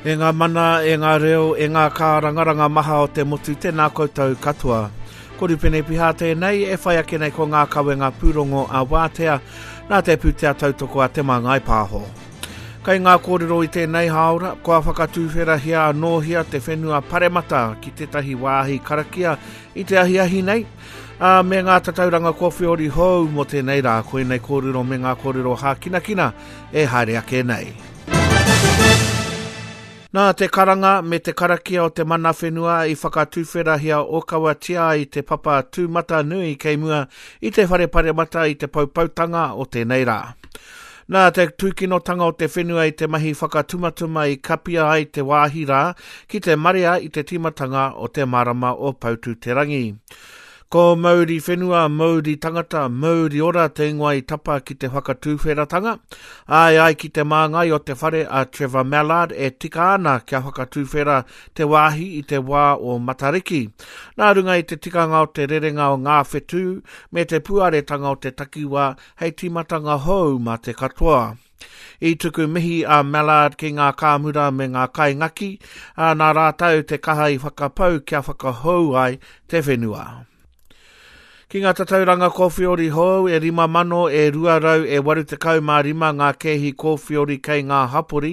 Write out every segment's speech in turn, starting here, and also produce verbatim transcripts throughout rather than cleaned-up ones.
E ngā mana, e ngā reo, e ngā kārangaranga maha o te motu, tēnā koutou katoa. Ko Rupene Piha tēnei, e whai ake nei ko ngā kawenga pūrongo a Wātea, nā te pūtea tautoko a Te Māngai Pāho. Kei ngā kōrero i tēnei hāora, kua whakatūwherahia anōhia te whenua paremata ki tētahi wāhi karakia i te ahiahi nei, ā, me ngā tatauranga kōwhiori hou mō tēnei rā, koinei kōrero me ngā kōrero hākinakina e haere ake nei. Nā te karanga me te karakia o te mana whenua i whakatūwherahia ōkawatia ai te papa tūmatanui kei mua i te whare paremata i te poupoutanga o tēnei rā. Nā te tūkinotanga o te whenua i te mahi whakatumatuma i kapia ai te wāhi rā ki te marea i te tīmatanga o te marama o Poutū-te-rangi. Ko Mauri Whenua, Mauri Tangata, Mauri Ora te ingoa i tapa ki te whakatūwheratanga. Ai ai ki te māngai o te whare a Trevor Mallard e tika ana kia whakatūwhera te wāhi i te wā o Matariki. Nā runga i te tikanga o te rerenga o ngā whetū me te puaretanga o te takiwā hei tīmatanga hou mā te katoa. I tuku mihi a Mallard ki ngā kāmura me ngā kaingaki, ā, nā rātou te kaha i whakapau kia whakahou ai te whenua. Ki ngā tatauranga kōwhiori hou e rima mano e rua rau e waru tekau mā rima ngā kēhi kōwhiori kei ngā hapori,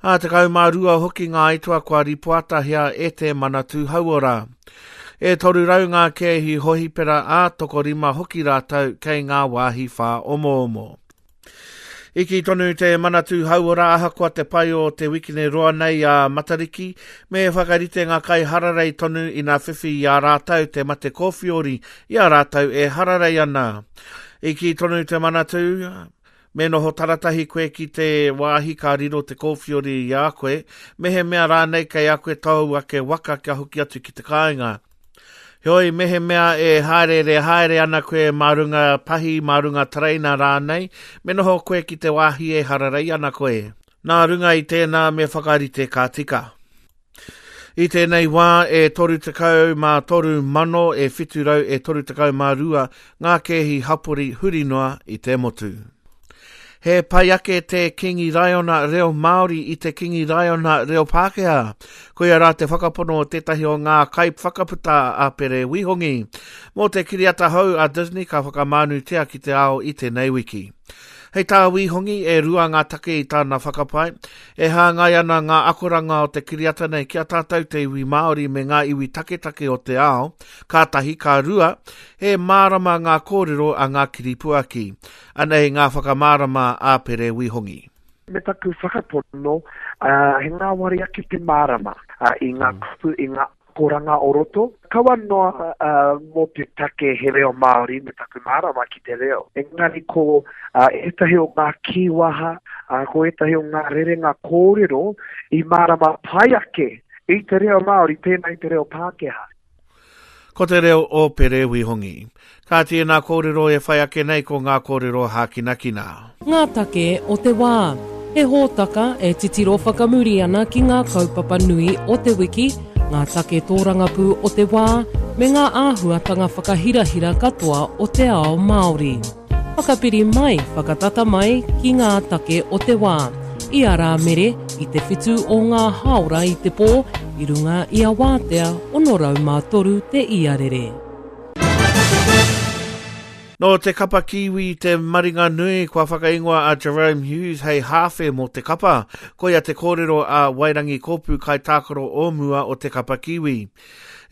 ā, tekau mā rua hoki ngā aituā kua ripoatahia e te Manatū Hauora. E toru rau ngā kēhi hohipera ā, tokorima hoki rātou kei ngā wāhi whāomoomo. I kī tonu te Manatū Hauora ahakoa te pai o te wikine roa nei a Matariki, me whakarite ngā kai hararei tonu ina whiwhi i a rātou te mate kōwhiori i a rātou e hararei ana. I kī tonu te Manatū, me noho taratahi koe ki te wāhi ka riro te kōwhiori i a koe, mehemea rānei kei a koe tōu ake waka kia hoki atu ki te kāinga. Heoi, mehemea e haereere haere ana koe mā runga pahi, mā runga tereina rānei, me noho koe ki te wāhi e hararei ana koe. Nā runga i tēnā me whakarite ka tika. I tēnei wā e toru tekau mā toru mano e whitu rau e toru tekau mā rua ngā kēhi hapori huri noa i te motu. He pai ake te Kingi Raiona reo Māori i te Kingi Raiona reo Pākehā. Koia rā te whakapono o tētahi o ngā kaiwhakaputa a Pere Wihongi. Mō te kiriata hou a Disney ka whakamānutia ki te ao i tēnei wiki. Hei tā Wihongi, e rua ngā take i tāna whakapae, e hāngai ana ngā akoranga o te kiriata nei ki a tātou te iwi Māori me ngā iwi taketake o te ao, ka tahi, ka rua, he mārama ngā kōrero a ngā kiripuaki. Anei ngā whakamārama a Pere Wihongi. Me taku whakapono, he ngāwari ake te mārama i ngā kupu, i ngā akoranga o roto. Kaua noa mō te take he reo Māori me taku mārama ki te reo. Engari ko ētahi o ngā kīwaha, ko ētahi o ngā rerenga kōrero i mārama pai ake i te reo Māori tēnā i te reo Pākehā. Ko te reo o Pere Wihongi. Ka tēnā kōrero e whai ake nei ko ngā kōrero hākinakina. Ngā take o te wā. He hōtaka e titiro whakamuri ana ki ngā kaupapa nui o te wiki, ngā take tōrangapū o te wā, me ngā āhuatanga whakahirahira katoa o te ao Māori. Whakapiri mai, whakatata mai ki ngā take o te wā. I a Rāmere, i te whitu o ngā hāora i te pō, i runga i a Wātea ono rau mā toru te iarere. Nō te kapa Kiwi te maringa nui kua whakaingoa a Jahrome Hughes hei hāwhe mō te kapa. Koia te kōrero a Wairangi Kōpū kaitākaro o mua o te kapa Kiwi.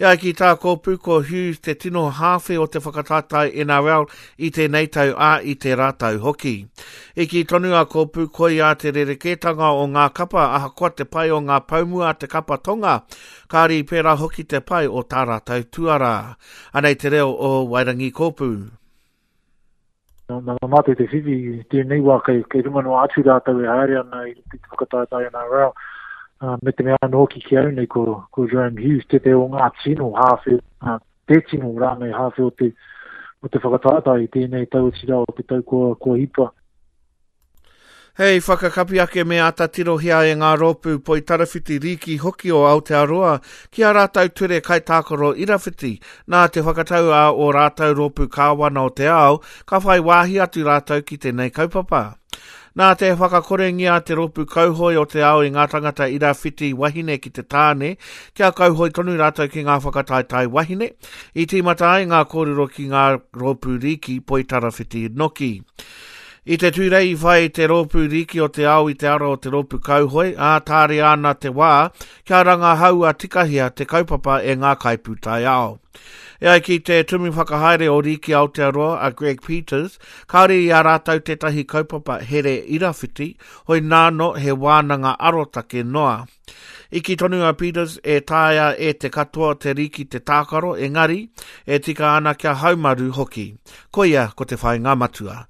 E ai ki tā Kōpū ko Hughes te tino hāwhe o te whakataetae N R L i tēnei tau ā i tērā tau hoki. I kī tonu a Kōpū koia te rerekētanga o ngā kapa ahakoa te pai o ngā paumua a te kapa tonga, kāre i pērā hoki te pai o tā rātou tuarā. Anei te reo o Wairangi Kōpū. Nā mātou te whiwhi i tēnei wā kei, kei runga noa atu rātou e haere ana i te whakataetae N R L. Uh, me te mea anō hoki ki au nei ko, ko Jahrome Hughes, te te o ngā tino hāwhe, uh, te tino rānei hāwhe o te, o te whakataetae i tēnei tau o tira o te tau kua, kua hipa. Hei whakakapi ake me āta tirohia e ngā rōpū poitarawhiti rīki hoki o Aotearoa ki a rātou ture kaitākaro irawhiti. Nā te whakatau a o rātou rōpū kāwana o te ao, ka whai wāhi atu rātou ki tēnei kaupapa. Nā te whakakorengia te rōpū kauhoe o te ao i ngā tangata irawhiti wahine ki te tāne, kia kauhoe tonu rātou ki ngā whakataetae wahine, i tīmata ai ngā kōrero ki ngā rōpū rīki poitarawhiti noki. I te tūrei i whai te rōpū rīki o te ao i te ara o te rōpū kauhoe, ā tāria ana te wā, kia rangahaua tikahia te kaupapa e ngā kaipūtaiao. E ai ki te tumu whakahaere o Rīki Aotearoa a Greg Peters, kāore i a rātou tētahi kaupapa here irawhiti, hoi nāno he wānanga arotake noa. I kī tonu a Peters e taea e te katoa te rīki te tākaro, engari, e tika ana kia haumaru hoki. Koia ko te whāinga matua.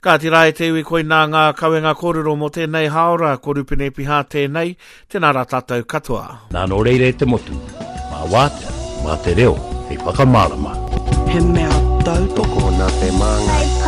Ka tira e te iwi koinā ngā kawenga kōrero mō tēnei haora, ko Rupene Piha tēnei, tēnā rā tātou katoa. Nā nō reira e te motu, mā wātea, mā te reo, hei whakamārama. He mea tautoko Tokona te māngai.